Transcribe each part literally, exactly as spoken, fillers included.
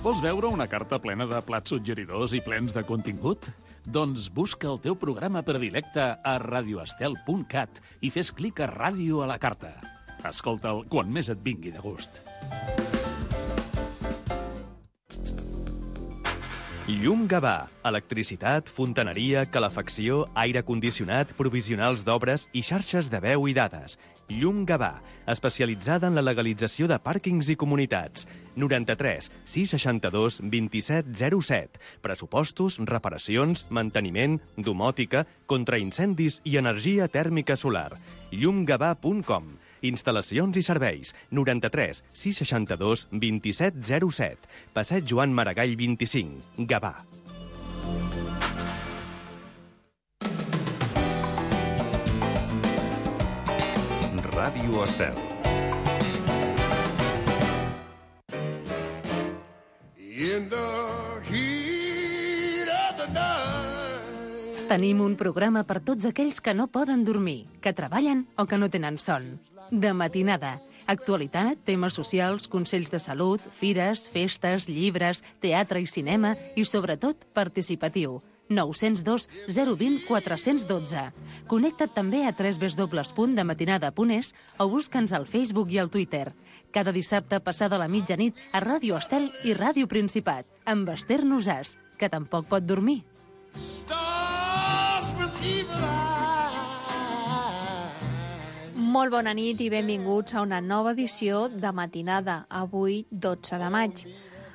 Vols veure una carta plena de plats suggeridors i plens de contingut? Doncs busca el teu programa predilecte a radioestel punt cat i fes clic a Ràdio a la carta. Escolta'l quan més et vingui de gust. Llum Gavà. Electricitat, fontaneria, calefacció, aire condicionat, provisionals d'obres i xarxes de veu i dades. Llum Gavà, especialitzada en la legalització de pàrquings i comunitats. noranta-tres sis seixanta-dos vint-i-set zero set. Pressupostos, reparacions, manteniment, domòtica, contraincendis i energia tèrmica solar. llum gavà punt com. Instal·lacions i serveis. noranta-tres sis seixanta-dos vint-i-set zero set. Passeig Joan Maragall vint-i-cinc. Gavà. Ràdio Estel. Tenim un programa per tots aquells que no poden dormir, que treballen o que no tenen son. De matinada. Actualitat, temes socials, consells de salut, fires, festes, llibres, teatre i cinema i, sobretot, participatiu. nou zero dos zero dos zero quatre un dos. Connecta't també a w w w punt de matinada punt es o busca'ns al Facebook i al Twitter. Cada dissabte passada la mitjanit a Ràdio Estel i Ràdio Principat, amb Esther Nosàs, que tampoc pot dormir. Molt bona nit i benvinguts a una nova edició de Matinada, avui dotze de maig.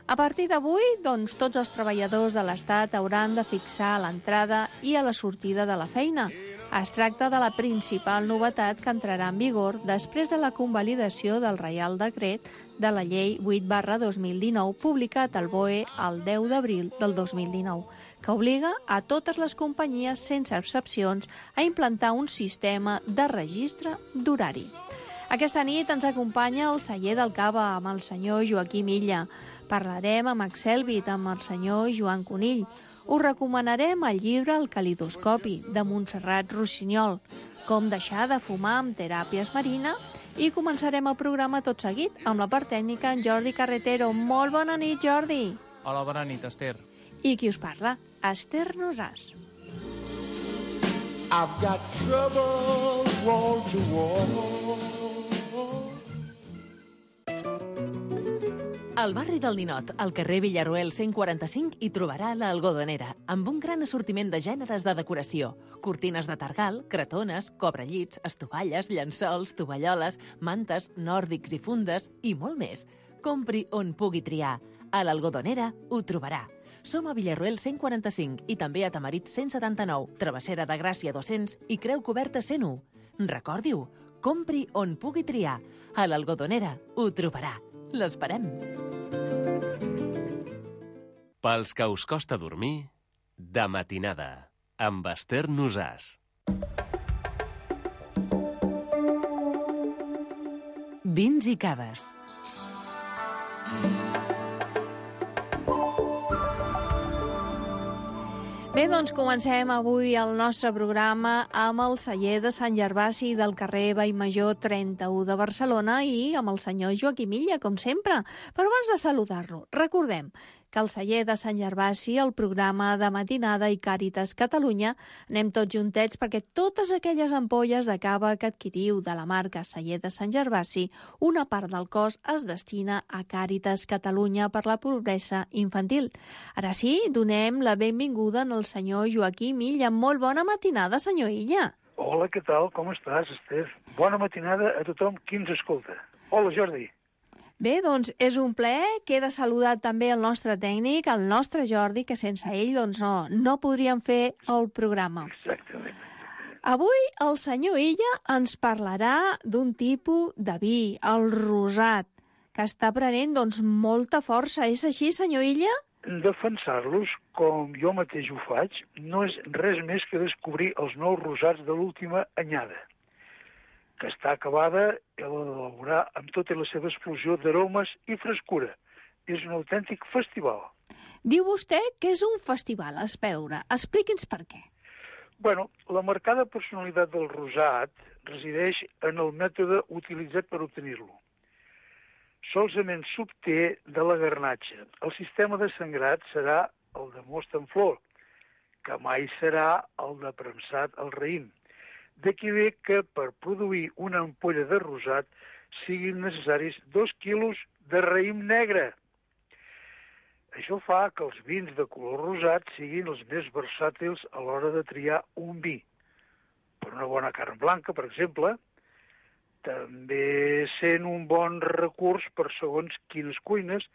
A partir d'avui, doncs, tots els treballadors de l'Estat hauran de fixar l'entrada i a la sortida de la feina. Es tracta de la principal novetat que entrarà en vigor després de la convalidació del Reial Decret de la Llei vuit barra dos mil dinou, publicat al B O E el deu d'abril del dos mil dinou, que obliga a totes les companyies, sense excepcions, a implantar un sistema de registre d'horari. Aquesta nit ens acompanya el celler del Cava amb el senyor Joaquim Illa. Parlarem amb Excelbit, amb el senyor Joan Conill. Us recomanarem el llibre El calidoscopi, de Montserrat Rossinyol, com deixar de fumar amb teràpies marina, i començarem el programa tot seguit amb la part tècnica en Jordi Carretero. Molt bona nit, Jordi. Hola, bona nit, Esther. I qui us parla? Esther Nosàs. I've got trouble wall to wall. Al barri del Ninot, al carrer Villaruel cent quaranta-cinc, hi trobarà l'Algodonera, amb un gran assortiment de gèneres de decoració. Cortines de targal, cretones, cobrellits, estovalles, llençols, tovalloles, mantes, nòrdics i fundes i molt més. Compri on pugui triar. A l'Algodonera ho trobarà. Som a Villaruel cent quaranta-cinc i també a Tamarit cent setanta-nou, Travessera de Gràcia dos-cents i Creu Coberta cent u. Recordi-ho, compri on pugui triar. A l'Algodonera ho trobarà. L'esperem. Pels que us costa dormir, de matinada, amb Esther Nosàs. Vins i cades. Bé, doncs comencem avui el nostre programa amb el celler de Sant Gervasi del carrer Vallmajor trenta-u de Barcelona i amb el senyor Joaquim Illa, com sempre. Però abans de saludar-lo, recordem que el celler de Sant Gervasi, el programa de matinada i Càritas Catalunya, anem tots juntets perquè totes aquelles ampolles de cava que adquiriu de la marca celler de Sant Gervasi, una part del cost es destina a Càritas Catalunya per la pobresa infantil. Ara sí, donem la benvinguda al senyor Joaquim Illa. Molt bona matinada, senyor Illa. Hola, què tal? Com estàs, Esther? Bona matinada a tothom qui ens escolta. Hola, Jordi. Bé, doncs és un plaer. Queda saludar també el nostre tècnic, el nostre Jordi, que sense ell doncs no, no podríem fer el programa. Exactament. Avui el senyor Illa ens parlarà d'un tipus de vi, el rosat, que està prenent doncs molta força. És així, senyor Illa? Defensar-los, com jo mateix ho faig, no és res més que descobrir els nous rosats de l'última anyada, que està acabada i l'ha d'elaborar amb tota la seva explosió d'aromes i frescura. És un autèntic festival. Diu vostè que és un festival, a veure. Expliqui'ns per què. Bueno, la marcada personalitat del rosat resideix en el mètode utilitzat per obtenir-lo. solament s'obté de la garnatxa. El sistema de sangrat serà el de most en flor, que mai serà el de premsat al raïm. D'aquí ve que per produir una ampolla de rosat siguin necessaris dos quilos de raïm negre. Això fa que els vins de color rosat siguin els més versàtils a l'hora de triar un vi. Per una bona carn blanca, per exemple, també sent un bon recurs per segons quines cuines,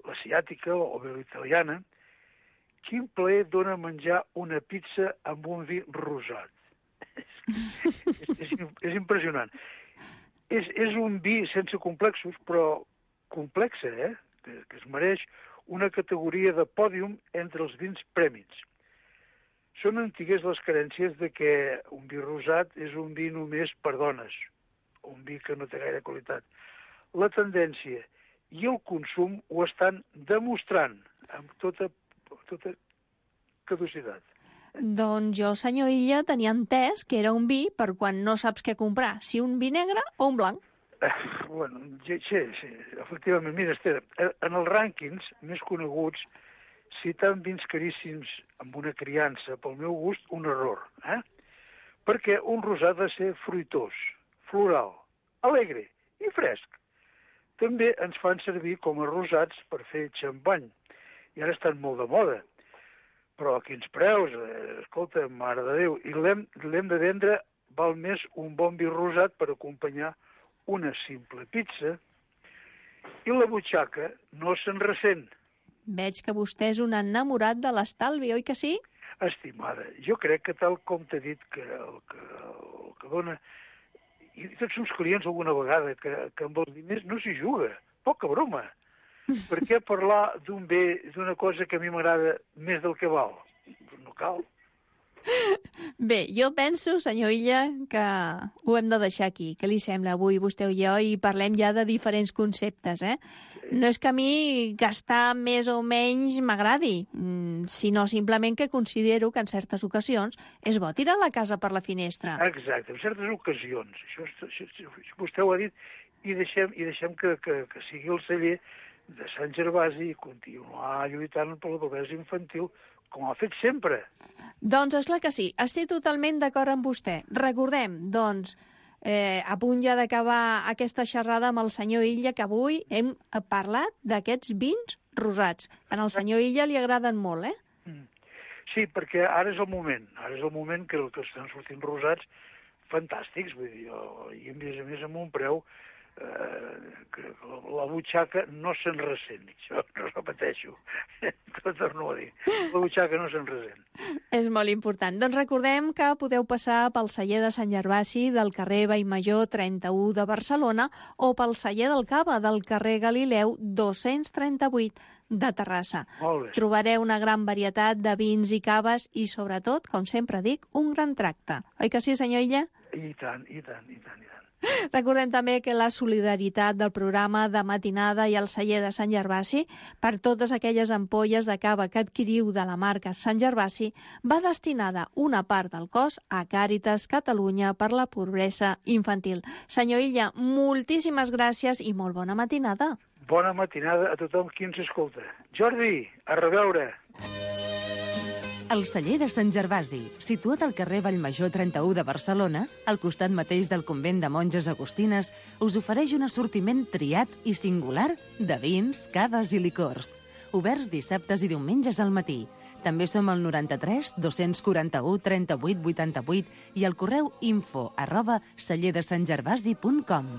l'asiàtica o bé l'italiana. Quin plaer dona menjar una pizza amb un vi rosat. és, és, és impressionant. És, és un vi sense complexos, però complexa, eh? Que, que es mereix una categoria de pòdium entre els vins prèmits. Són antigues les carències de que un vi rosat és un vi només per dones, un vi que no té gaire qualitat. La tendència i el consum ho estan demostrant amb tota, tota caducitat. Doncs jo, senyor Illa, tenia entès que era un vi per quan no saps què comprar, si un vi negre o un blanc. Eh, bueno, sí, sí, efectivament. Mira, Esther, en els rànquings més coneguts, citant vins caríssims amb una criança, pel meu gust, un error. Eh? Perquè un rosat ha de ser fruitós, floral, alegre i fresc. També ens fan servir com a rosats per fer xampany. I ara estan molt de moda. Però a quins preus? Eh, escolta, mare de Déu. I l'hem de vendre, val més un bon vi rosat per acompanyar una simple pizza, i la butxaca no se'n ressent. Veig que vostè és un enamorat de l'estalvi, oi que sí? Estimada, jo crec que tal com t'he dit que el que, el que dona... I tots els clients alguna vegada que, que amb els diners no s'hi juga. Poca broma. Per què parlar d'un bé, d'una cosa que a mi m'agrada més del que val? No cal. Bé, jo penso, senyor Illa, que ho hem de deixar aquí. Què li sembla avui vostè i jo? I parlem ja de diferents conceptes, eh? No és que a mi gastar més o menys m'agradi, sinó simplement que considero que en certes ocasions és bo tirar la casa per la finestra. Exacte, en certes ocasions. Això, això, això vostè ho ha dit, i deixem, i deixem que, que, que sigui el celler de Sant Gervasi i continuar lluitant per la pobresa infantil, com ha fet sempre. Doncs és clar que sí, estic totalment d'acord amb vostè. Recordem, doncs, eh, a punt ja d'acabar aquesta xerrada amb el senyor Illa, que avui hem parlat d'aquests vins rosats. A el senyor Illa li agraden molt, eh? Sí, perquè ara és el moment. Ara és el moment que, que estan sortint rosats fantàstics, vull dir, i a més a més amb un preu eh, que la butxaca no se'n ressent. Això no repeteixo, ho torno a dir. La butxaca no se'n ressent. És molt important. Doncs recordem que podeu passar pel celler de Sant Gervasi del carrer Vallmajor trenta-u de Barcelona o pel celler del Cava del carrer Galileu dos-cents trenta-vuit de Terrassa. Trobareu una gran varietat de vins i caves i, sobretot, com sempre dic, un gran tracte. Oi que sí, senyor Illa? I tant, i tant, i tant, i tant. Recordem també que la solidaritat del programa de matinada i el celler de Sant Gervasi per totes aquelles ampolles de cava que adquiriu de la marca Sant Gervasi va destinada una part del cost a Càritas Catalunya per la pobresa infantil. Senyor Illa, moltíssimes gràcies i molt bona matinada. Bona matinada a tothom qui ens escolta. Jordi, a reveure. El celler de Sant Gervasi, situat al carrer Vallmajor trenta-u de Barcelona, al costat mateix del convent de monges agustines, us ofereix un assortiment triat i singular de vins, caves i licors. Oberts dissabtes i diumenges al matí. També som al noranta-tres dos-cents quaranta-u trenta-vuit vuitanta-vuit i al correu info arroba celler de sant gervasi punt com.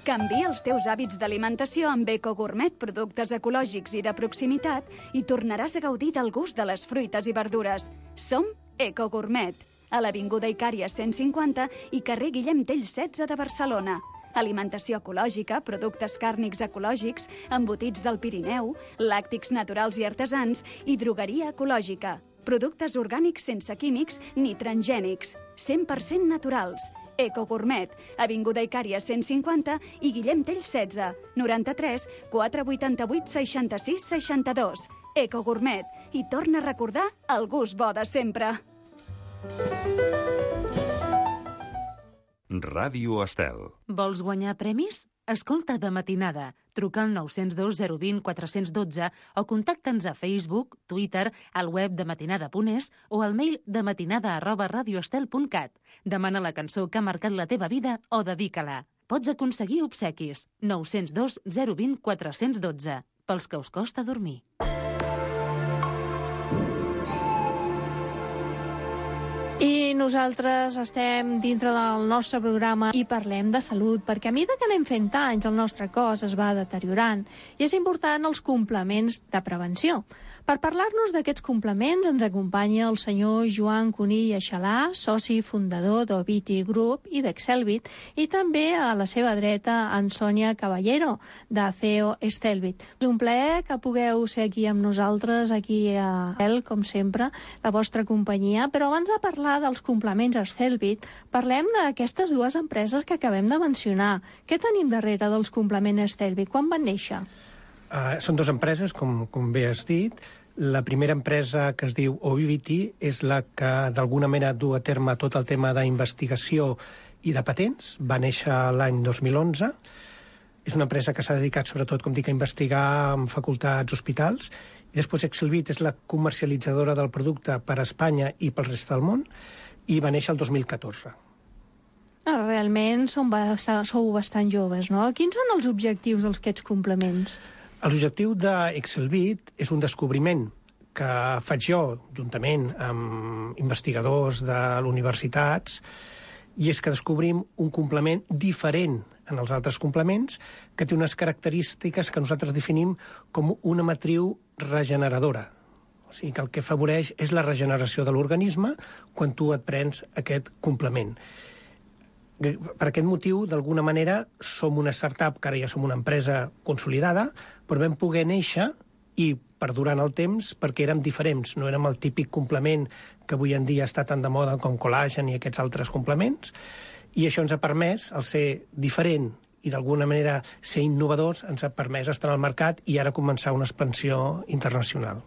Canvia els teus hàbits d'alimentació amb Eco Gourmet, productes ecològics i de proximitat, i tornaràs a gaudir del gust de les fruites i verdures. Som Eco Gourmet, a l'Avinguda Icària cent cinquanta i carrer Guillem Tell setze de Barcelona. Alimentació ecològica, productes càrnics ecològics, embotits del Pirineu, làctics naturals i artesans i drogueria ecològica. Productes orgànics sense químics ni transgènics, cent per cent naturals. Eco Gourmet, Avinguda Icària cent cinquanta i Guillem Tell setze, noranta-tres quatre vuitanta-vuit seixanta-sis seixanta-dos. Eco Gourmet, i torna a recordar el gust bo de sempre. Ràdio Estel. Vols guanyar premis? Escolta De Matinada. Truca al nou zero dos zero dos zero quatre un dos o contacta'ns a Facebook, Twitter, al web de matinada punt es o al mail dematinada arroba radioestel punt cat. Demana la cançó que ha marcat la teva vida o dedica-la. Pots aconseguir obsequis. nou zero dos zero dos zero quatre un dos. Pels que us costa dormir. I nosaltres estem dintre del nostre programa i parlem de salut, perquè a mesura que anem fent anys el nostre cos es va deteriorant i és important els complements de prevenció. Per parlar-nos d'aquests complements ens acompanya el senyor Joan Conill Aixalà, soci fundador d'Oviti Group i d'Excelbit, i també a la seva dreta en Sònia Caballero, de C E O Estelbit. És un plaer que pugueu ser aquí amb nosaltres, aquí a El, com sempre, la vostra companyia, però abans de parlar dels complements Estelbit, parlem d'aquestes dues empreses que acabem de mencionar. Què tenim darrere dels complements Estelbit? Quan van néixer? Uh, són dues empreses, com, com bé has dit. La primera empresa, que es diu Ovivity, és la que d'alguna manera du a terme tot el tema d'investigació i de patents. Va néixer l'any dos mil onze. És una empresa que s'ha dedicat sobretot, com dic, a investigar en facultats, hospitals. I després Excelbit és la comercialitzadora del producte per a Espanya i pel resta del món, i va néixer el dos mil catorze. Realment som, sou bastant joves, no? Quins són els objectius d'aquests complements? L'objectiu d'Excelbit és un descobriment que faig jo, juntament amb investigadors de les universitats, i és que descobrim un complement diferent en els altres complements, que té unes característiques que nosaltres definim com una matriu regeneradora. O sigui que el que afavoreix és la regeneració de l'organisme quan tu et prens aquest complement. Per aquest motiu, d'alguna manera, som una startup, que ara ja som una empresa consolidada, però vam poder néixer i perdurar en el temps perquè érem diferents. No érem el típic complement que avui en dia està tan de moda com col·làgen i aquests altres complements, i això ens ha permès, el ser diferent i d'alguna manera ser innovadors, ens ha permès estar al mercat i ara començar una expansió internacional.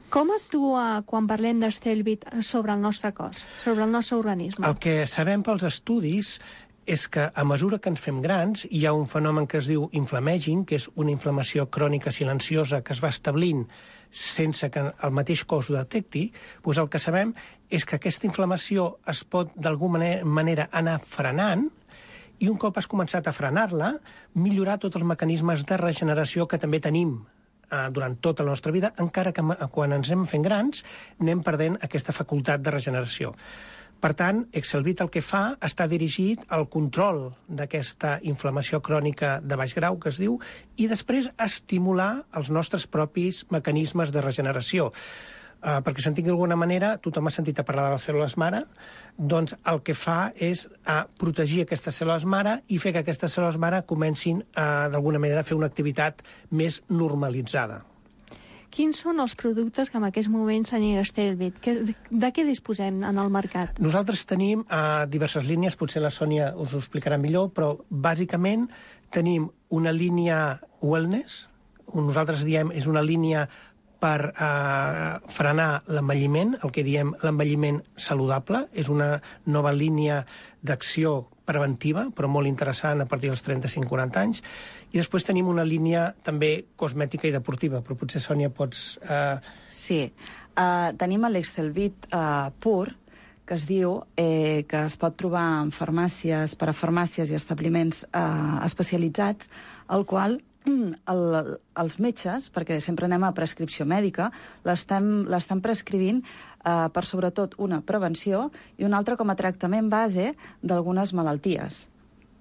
Com actua quan parlem d'Estelbit sobre el nostre cos, sobre el nostre organisme? El que sabem pels estudis és que a mesura que ens fem grans hi ha un fenomen que es diu inflammaging, que és una inflamació crònica silenciosa que es va establint sense que el mateix cos ho detecti. Doncs el que sabem és que aquesta inflamació es pot d'alguna manera anar frenant, i un cop has començat a frenar-la, millorar tots els mecanismes de regeneració que també tenim durant tota la nostra vida, encara que quan ens anem fent grans anem perdent aquesta facultat de regeneració. Per tant, Excelbit el que fa està dirigit al control d'aquesta inflamació crònica de baix grau, que es diu, i després estimular els nostres propis mecanismes de regeneració. Uh, perquè s'entengui d'alguna manera, tothom ha sentit a parlar de les cèl·lules mare, doncs el que fa és uh, protegir aquestes cèl·lules mare i fer que aquestes cèl·lules mare comencin uh, d'alguna manera a fer una activitat més normalitzada. Quins són els productes que en aquests moments tenim a Estelbit? De què disposem en el mercat? Nosaltres tenim uh, diverses línies, potser la Sònia us ho explicarà millor, però bàsicament tenim una línia wellness, nosaltres diem és una línia per eh, frenar l'envelliment, el que diem l'envelliment saludable. És una nova línia d'acció preventiva, però molt interessant a partir dels trenta-cinc quaranta anys. I després tenim una línia també cosmètica i deportiva, però potser, Sònia, pots... Eh... Sí, uh, tenim l'Excelbit uh, pur, que es diu, eh, que es pot trobar en farmàcies, per a farmàcies i establiments eh, especialitzats, el qual el, els metges, perquè sempre anem a prescripció mèdica, l'estan prescrivint eh, per sobretot una prevenció i una altra com a tractament base d'algunes malalties.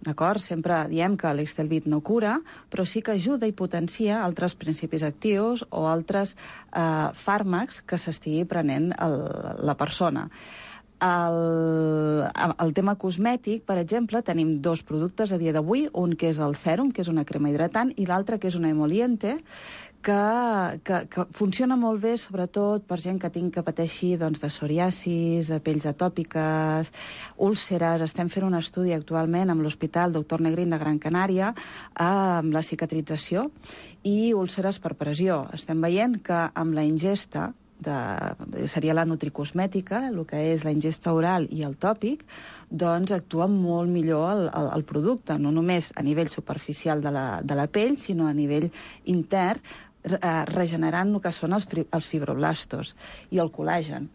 D'acord? Sempre diem que l'Excelbit no cura, però sí que ajuda i potencia altres principis actius o altres eh, fàrmacs que s'estigui prenent el, la persona. El, el tema cosmètic, per exemple, tenim dos productes a dia d'avui, un que és el sèrum, que és una crema hidratant, i l'altre que és una emoliente, que, que, que funciona molt bé, sobretot per gent que tingui que pateixi doncs, de psoriasis, de pells atòpiques, úlceres. Estem fent un estudi actualment amb l'Hospital Doctor Negrín de Gran Canària amb la cicatrització i úlceres per pressió. Estem veient que amb la ingesta de, seria la nutricosmètica, el que és la ingesta oral i el tòpic, doncs actua molt millor el, el, el producte, no només a nivell superficial de la, de la pell, sinó a nivell intern, eh, regenerant el que són els, els fibroblastos i el col·làgen.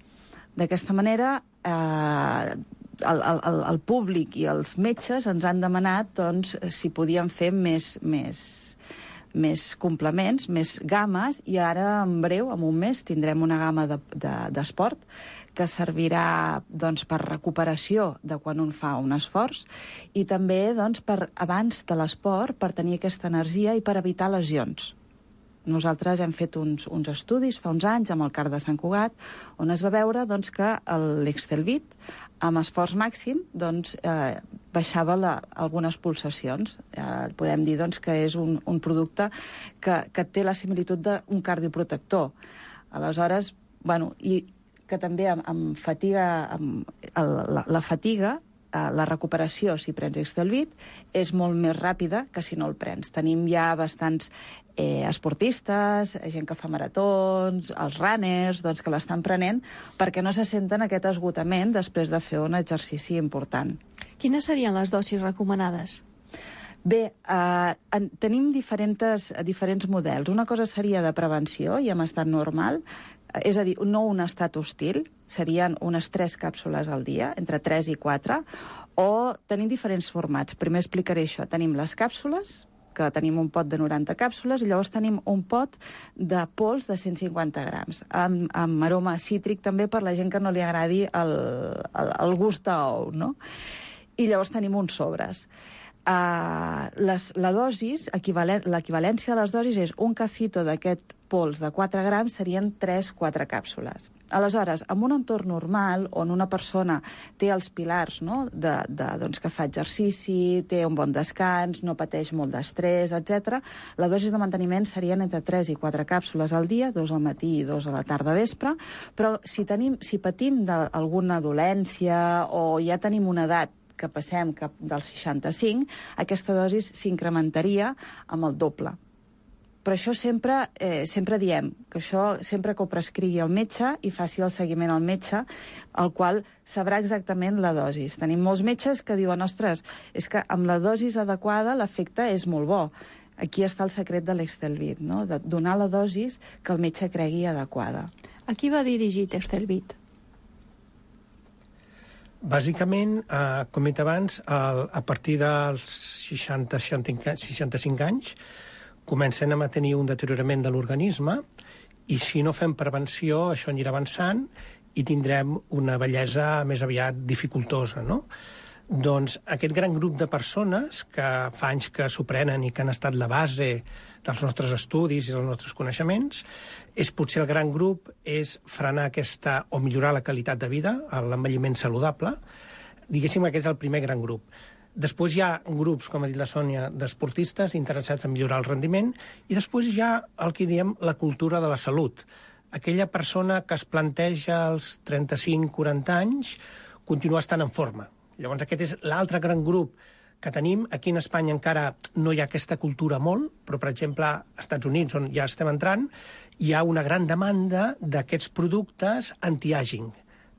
D'aquesta manera, eh, el, el, el públic i els metges ens han demanat doncs, si podien fer més, més, més complements, més games, i ara en breu, en un mes, tindrem una gamma d'esport de, de, que servirà doncs, per recuperació de quan un fa un esforç i també doncs, per abans de l'esport, per tenir aquesta energia i per evitar lesions. Nosaltres hem fet uns, uns estudis fa uns anys amb el CAR de Sant Cugat, on es va veure doncs, que l'Excelbit, amb esforç màxim, doncs, eh, baixava la, algunes pulsacions. Eh, podem dir doncs, que és un, un producte que, que té la similitud d'un cardioprotector. Aleshores, bueno, i que també amb, amb fatiga, amb el, la, la fatiga, la recuperació, si prens Excelbit, és molt més ràpida que si no el prens. Tenim ja bastants eh, esportistes, gent que fa maratons, els runners, doncs, que l'estan prenent perquè no se senten aquest esgotament després de fer un exercici important. Quines serien les dosis recomanades? Bé, eh, en, tenim diferents, diferents models. Una cosa seria de prevenció i en estat normal, és a dir, no un estat hostil, serien unes tres càpsules al dia, entre tres i quatre, o tenim diferents formats. Primer explicaré això. Tenim les càpsules, que tenim un pot de noranta càpsules, i llavors tenim un pot de pols de cent cinquanta grams, amb, amb aroma cítric també per la gent que no li agradi el, el, el gust d'ou, no? I llavors tenim uns sobres. Uh, les, la dosis, l'equivalència de les dosis és un cacito d'aquest pols de quatre grams serien tres quatre càpsules. Aleshores, en un entorn normal, on una persona té els pilars, no?, de, de, doncs, que fa exercici, té un bon descans, no pateix molt d'estrès, etcètera, la dosi de manteniment serien entre tres i quatre càpsules al dia, dos al matí i dos a la tarda vespre, però si, tenim, si patim d'alguna dolència o ja tenim una edat que passem cap dels seixanta-cinc, aquesta dosi s'incrementaria amb el doble. Però això sempre, eh, sempre diem que això sempre que ho prescrigui el metge i faci el seguiment al metge, el qual sabrà exactament la dosi. Tenim molts metges que diuen, ostres, és que amb la dosi adequada l'efecte és molt bo. Aquí està el secret de l'Excelbit, no?, de donar la dosi que el metge cregui adequada. A qui va dirigit Excelbit? Bàsicament, eh, com he dit abans, a, a partir dels seixanta seixanta-cinc anys comencem a tenir un deteriorament de l'organisme i si no fem prevenció això anirà avançant i tindrem una bellesa més aviat dificultosa, no? Doncs aquest gran grup de persones que fa anys que s'ho prenen i que han estat la base dels nostres estudis i dels nostres coneixements, és potser el gran grup és frenar aquesta, o millorar la qualitat de vida, l'envelliment saludable. Diguéssim que aquest és el primer gran grup. Després hi ha grups, com ha dit la Sònia, d'esportistes interessats en millorar el rendiment, i després hi ha el que diem la cultura de la salut. Aquella persona que es planteja als trenta-cinc quaranta anys continuar estant en forma. Llavors aquest és l'altre gran grup que tenim. Aquí en Espanya encara no hi ha aquesta cultura molt, però, per exemple, als Estats Units, on ja estem entrant, hi ha una gran demanda d'aquests productes anti-aging,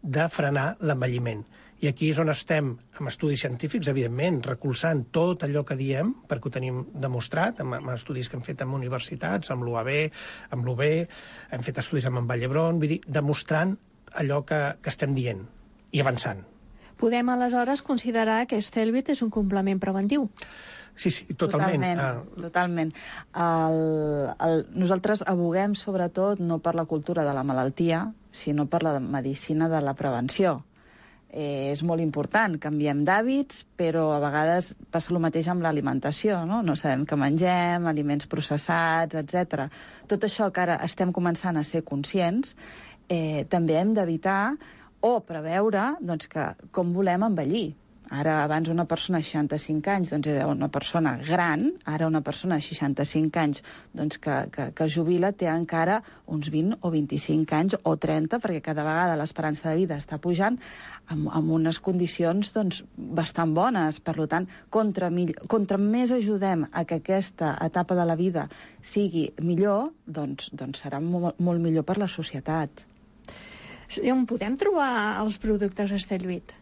de frenar l'envelliment. I aquí és on estem, amb estudis científics, evidentment, recolzant tot allò que diem, perquè ho tenim demostrat, amb, amb estudis que hem fet amb universitats, amb l'U A B, amb l'U B, hem fet estudis amb en Vall d'Hebron, vull dir, demostrant allò que, que estem dient i avançant. Podem, aleshores, considerar que Excelbit és un complement preventiu? Sí, sí, totalment. Totalment, uh... totalment. El, el, nosaltres aboguem, sobretot, no per la cultura de la malaltia, sinó per la medicina de la prevenció. Eh, és molt important, canviem d'hàbits, però a vegades passa el mateix amb l'alimentació, no? No sabem què mengem, aliments processats, etcètera. Tot això que ara estem començant a ser conscients, eh, també hem d'evitar o preveure doncs, que com volem envellir. Ara, abans una persona de seixanta-cinc anys doncs, era una persona gran, ara una persona de seixanta-cinc anys doncs, que, que, que jubila té encara uns vint o vint-i-cinc anys o trenta, perquè cada vegada l'esperança de vida està pujant amb, amb unes condicions doncs, bastant bones. Per tant, contra, contra més ajudem a que aquesta etapa de la vida sigui millor, doncs, doncs serà molt, molt millor per la societat. On podem trobar els productes Estelvit?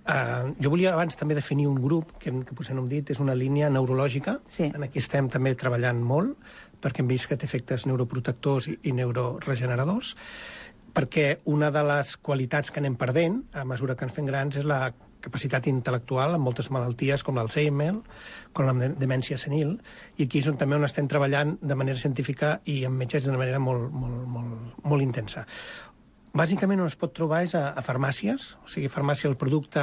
Uh, jo volia abans també definir un grup, que, que potser no hem dit, és una línia neurològica. Sí. En aquí estem també treballant molt, perquè hem vist que té efectes neuroprotectors i, i neuroregeneradors, perquè una de les qualitats que anem perdent a mesura que ens fem grans és la capacitat intel·lectual en moltes malalties com l'Alzheimer, com la demència senil, i aquí és on també on estem treballant de manera científica i amb metges d'una manera molt, molt, molt, molt intensa. Bàsicament on es pot trobar és a, a farmàcies, o sigui, farmàcia, el producte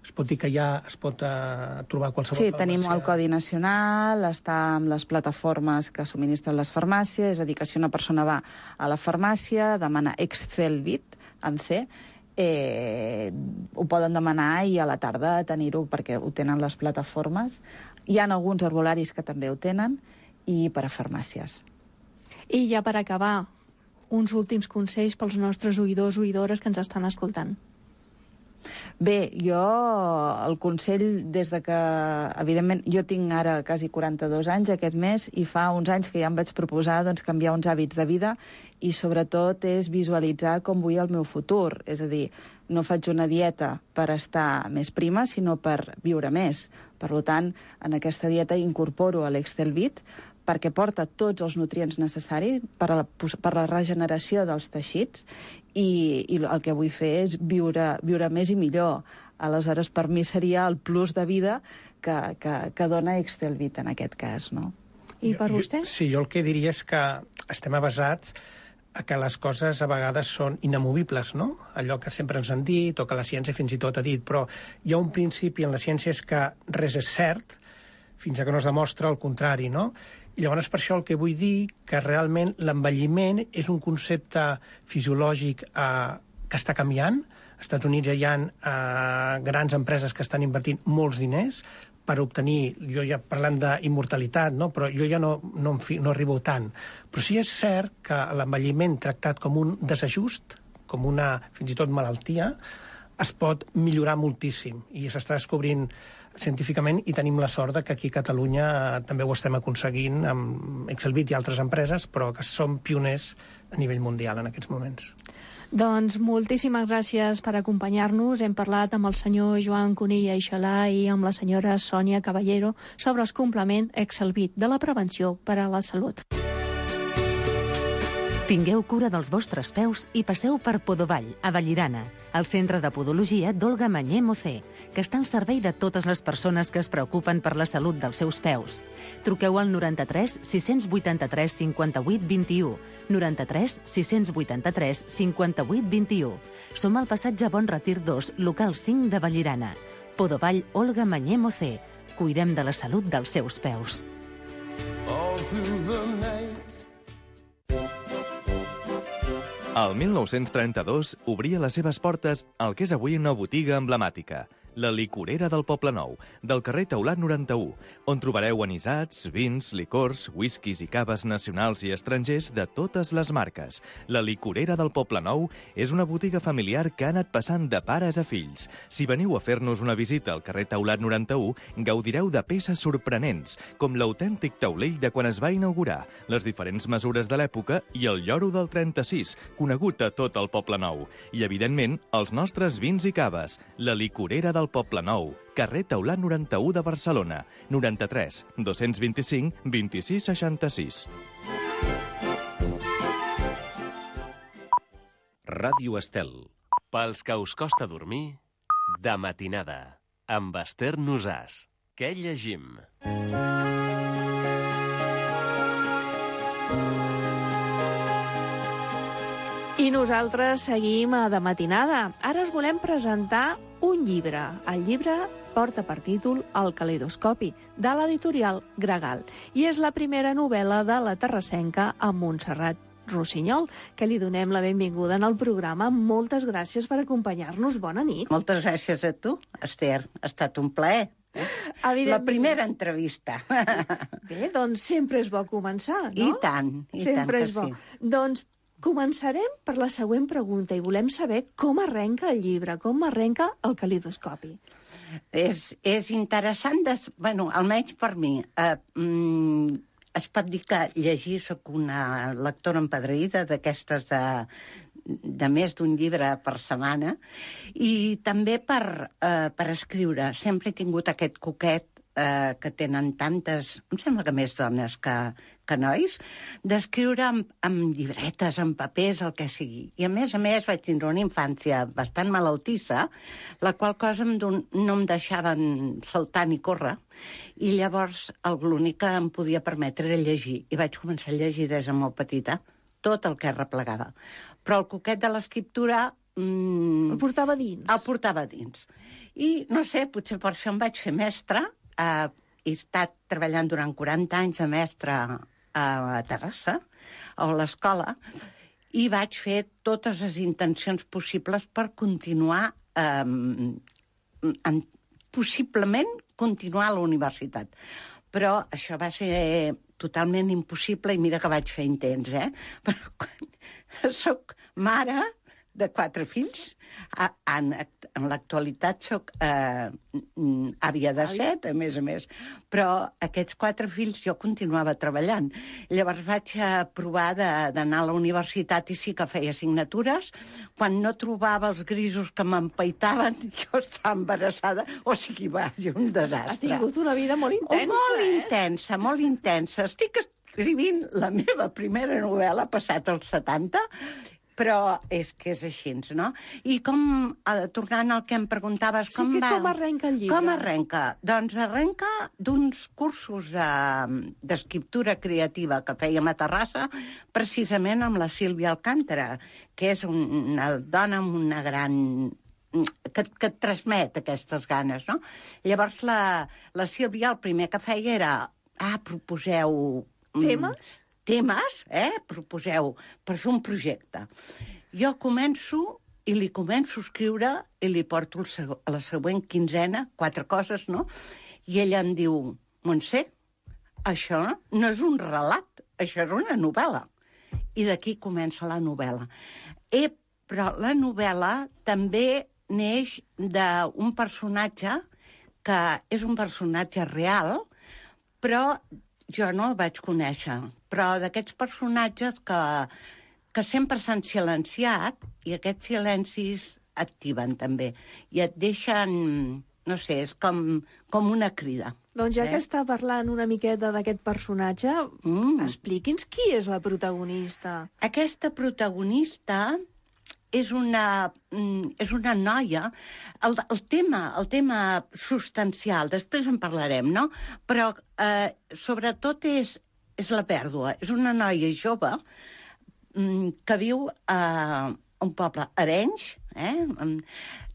es pot dir que ja es pot uh, trobar a qualsevol sí, farmàcia. Tenim el Codi Nacional, està amb les plataformes que subministren les farmàcies, és a dir, que si una persona va a la farmàcia, demana Excelvit, amb C, eh, ho poden demanar i a la tarda tenir-ho perquè ho tenen les plataformes. Hi ha alguns herbolaris que també ho tenen i per a farmàcies. I ja per acabar, uns últims consells pels nostres oïdors o oïdores que ens estan escoltant. Bé, jo el consell des de que, evidentment, jo tinc ara quasi quaranta-dos anys aquest mes i fa uns anys que ja em vaig proposar doncs, canviar uns hàbits de vida i sobretot és visualitzar com vull el meu futur. És a dir, no faig una dieta per estar més prima, sinó per viure més. Per tant, en aquesta dieta incorporo l'Excelvit perquè porta tots els nutrients necessaris per a la, per a la regeneració dels teixits i, i el que vull fer és viure, viure més i millor. Aleshores, per mi seria el plus de vida que, que, que dona Excelvit en aquest cas, no? I per vostè? Sí, jo el que diria és que estem avasats a que les coses a vegades són inamovibles, no? Allò que sempre ens han dit o que la ciència fins i tot ha dit, però hi ha un principi en la ciència és que res és cert fins a que no es demostra el contrari, no? I llavors per això el que vull dir que realment l'envelliment és un concepte fisiològic eh, que està canviant. Als Estats Units ja hi ha eh, grans empreses que estan invertint molts diners per obtenir, jo ja parlant d'immortalitat, no? Però jo ja no, no, no arribo tant. Però sí és cert que l'envelliment tractat com un desajust, com una fins i tot malaltia, es pot millorar moltíssim i s'està descobrint científicament i tenim la sort que aquí a Catalunya també ho estem aconseguint amb Excelvit i altres empreses, però que som pioners a nivell mundial en aquests moments. Doncs moltíssimes gràcies per acompanyar-nos. Hem parlat amb el senyor Joan Conill Aixalà i amb la senyora Sònia Caballero sobre el complement Excelvit de la prevenció per a la salut. Tingueu cura dels vostres peus i passeu per Podovall, a Vallirana, el centre de podologia d'Olga Mañé Mocé, que està al servei de totes les persones que es preocupen per la salut dels seus peus. Truqueu al noranta-tres sis vuitanta-tres cinquanta-vuit vint-i-u, noranta-tres sis vuitanta-tres cinquanta-vuit vint-i-u. Som al passatge Bon Retir dos, local cinc de Vallirana. Podovall Olga Mañé Mocé. Cuidem de la salut dels seus peus. El mil nou-cents trenta-dos obria les seves portes al que és avui una botiga emblemàtica, la licorera del Poble Nou, del carrer Taulat noranta-u, on trobareu anisats, vins, licors, whiskies i caves nacionals i estrangers de totes les marques. La licorera del Poble Nou és una botiga familiar que ha anat passant de pares a fills. Si veniu a fer-nos una visita al carrer Taulat noranta-u, gaudireu de peces sorprenents, com l'autèntic taulell de quan es va inaugurar, les diferents mesures de l'època i el lloro del trenta-sis, conegut a tot el Poble Nou. I, evidentment, els nostres vins i caves. La licorera del Poble Nou, carrer Taulat noranta-u de Barcelona, noranta-tres dos-cents vint-i-cinc vint-i-sis seixanta-sis. Ràdio Estel. Pels que us costa dormir, de matinada, amb Esther Nosàs. Què llegim? I nosaltres seguim a De Matinada. Ara us volem presentar un llibre. El llibre porta per títol El caleidoscopi, de l'editorial Gregal. I és la primera novel·la de la terrassenca a Montserrat Rossinyol, que li donem la benvinguda en el programa. Moltes gràcies per acompanyar-nos. Bona nit. Moltes gràcies a tu, Esther. Ha estat un plaer. La primera entrevista. Bé, doncs sempre és bo començar, no? I tant, i sempre tant que és bo. sí. Doncs començarem per la següent pregunta i volem saber com arrenca el llibre, com arrenca el calidoscopi. És, és interessant, des, bueno, almenys per mi. Eh, mm, es pot dir que llegir, soc una lectora empadreïda d'aquestes de, de més d'un llibre per setmana, i també per, eh, per escriure. Sempre he tingut aquest coquet eh, que tenen tantes, em sembla que més dones que, que nois, d'escriure amb, amb llibretes, amb papers, el que sigui. I a més a més vaig tindre una infància bastant malaltissa, la qual cosa em don, no em deixaven saltar ni córrer, i llavors l'únic que em podia permetre era llegir. I vaig començar a llegir des de molt petita, tot el que replegava. Però el coquet de l'escriptura... Mmm, el portava dins. El portava dins. I, no sé, potser per això em vaig fer mestra. Eh, he estat treballant durant quaranta anys de mestra a Terrassa, a l'escola, i vaig fer totes les intencions possibles per continuar, eh, en, possiblement continuar a la universitat. Però això va ser totalment impossible, i mira que vaig fer intents, eh? Però quan soc mare de quatre fills, en, en l'actualitat soc eh, àvia de set, a més a més, però aquests quatre fills jo continuava treballant. Llavors vaig provar d'anar a la universitat i sí que feia assignatures. Quan no trobava els grisos que m'empaitaven, jo estava embarassada, o sigui, va, un desastre. Ha tingut una vida molt intensa, oh, molt eh? intensa, molt intensa. Estic escrivint la meva primera novel·la, passat els setanta, però és que és així, no? I com, eh, tornant al que em preguntaves... Sí, com que va... com arrenca el llibre? Com arrenca? Doncs arrenca d'uns cursos d'escriptura creativa que fèiem a Terrassa, precisament amb la Sílvia Alcántara, que és una dona amb una gran... que, que et transmet aquestes ganes, no? Llavors la, la Sílvia el primer que feia era... Ah, proposeu... Temes? Temes, eh? Proposeu per fer un projecte. Jo començo i li començo a escriure i li porto el seg- a la següent quinzena, quatre coses, no? I ella em diu, Montse, això no és un relat, això és una novel·la. I d'aquí comença la novel·la. Eh, però la novel·la també neix d'un personatge que és un personatge real, però jo no el vaig conèixer, però d'aquests personatges que, que sempre s'han silenciat, i aquests silencis activen també, i et deixen, no sé, és com, com una crida. Doncs ja eh? que està parlant una miqueta d'aquest personatge, mm. expliqui'ns qui és la protagonista. Aquesta protagonista és una, és una noia. El, el, tema, el tema substancial, després en parlarem, no? Però eh, sobretot és, és la pèrdua. És una noia jove que viu a un poble, Arenys, eh?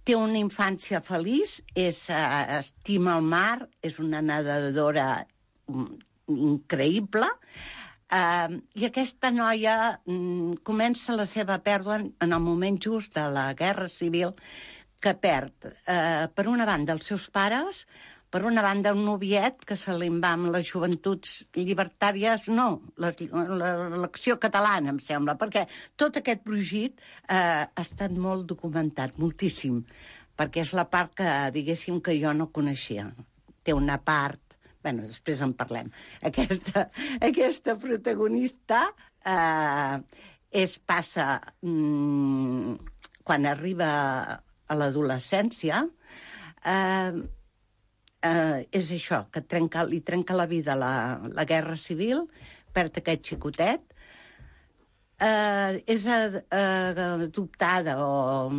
Té una infància feliç, és, eh, estima el mar, és una nedadora increïble, Uh, i aquesta noia um, comença la seva pèrdua en el moment just de la Guerra Civil, que perd, uh, per una banda, els seus pares, per una banda, un noviet que se li va amb les joventuts llibertàries, no, l'Acció Catalana, em sembla, perquè tot aquest brogit uh, ha estat molt documentat, moltíssim, perquè és la part que, diguéssim, que jo no coneixia. Té una part... Bueno, després en parlem. Aquesta, aquesta protagonista eh, es passa, mmm, quan arriba a l'adolescència, eh, eh, és això, que trenca, li trenca la vida la, la Guerra Civil, perd aquest xicotet, eh, és eh, adoptada o